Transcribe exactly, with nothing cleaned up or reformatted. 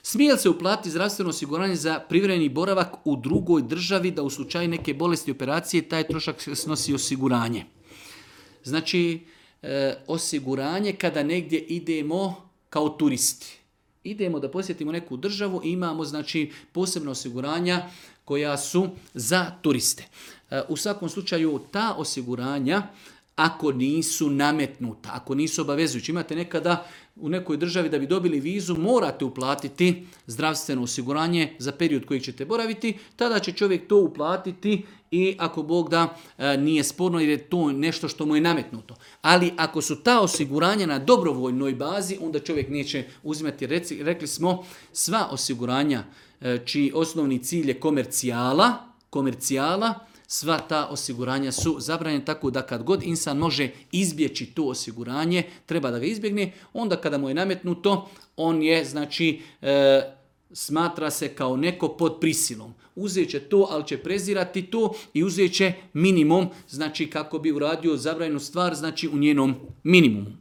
Smije li se uplatiti zdravstveno osiguranje za privremeni boravak u drugoj državi da u slučaju neke bolesti operacije taj trošak snosi osiguranje? Znači, e, osiguranje kada negdje idemo kao turisti. Idemo da posjetimo neku državu i imamo znači posebna osiguranja koja su za turiste. E, u svakom slučaju ta osiguranja ako nisu nametnuta, ako nisu obavezujući. Imate nekada u nekoj državi da bi dobili vizu morate uplatiti zdravstveno osiguranje za period kojeg ćete boraviti, tada će čovjek to uplatiti i ako Bog da nije sporno jer je to nešto što mu je nametnuto. Ali ako su ta osiguranja na dobrovoljnoj bazi, onda čovjek neće uzimati. Reci, rekli smo sva osiguranja čiji osnovni cilj je komercijala, komercijala, sva ta osiguranja su zabranjena, tako da kad god insan može izbjeći to osiguranje, treba da ga izbjegne, onda kada mu je nametnuto, on je, znači, e, smatra se kao neko pod prisilom. Uzet će to, ali će prezirati to i uzet će minimum, znači kako bi uradio zabranjenu stvar, znači u njenom minimumu.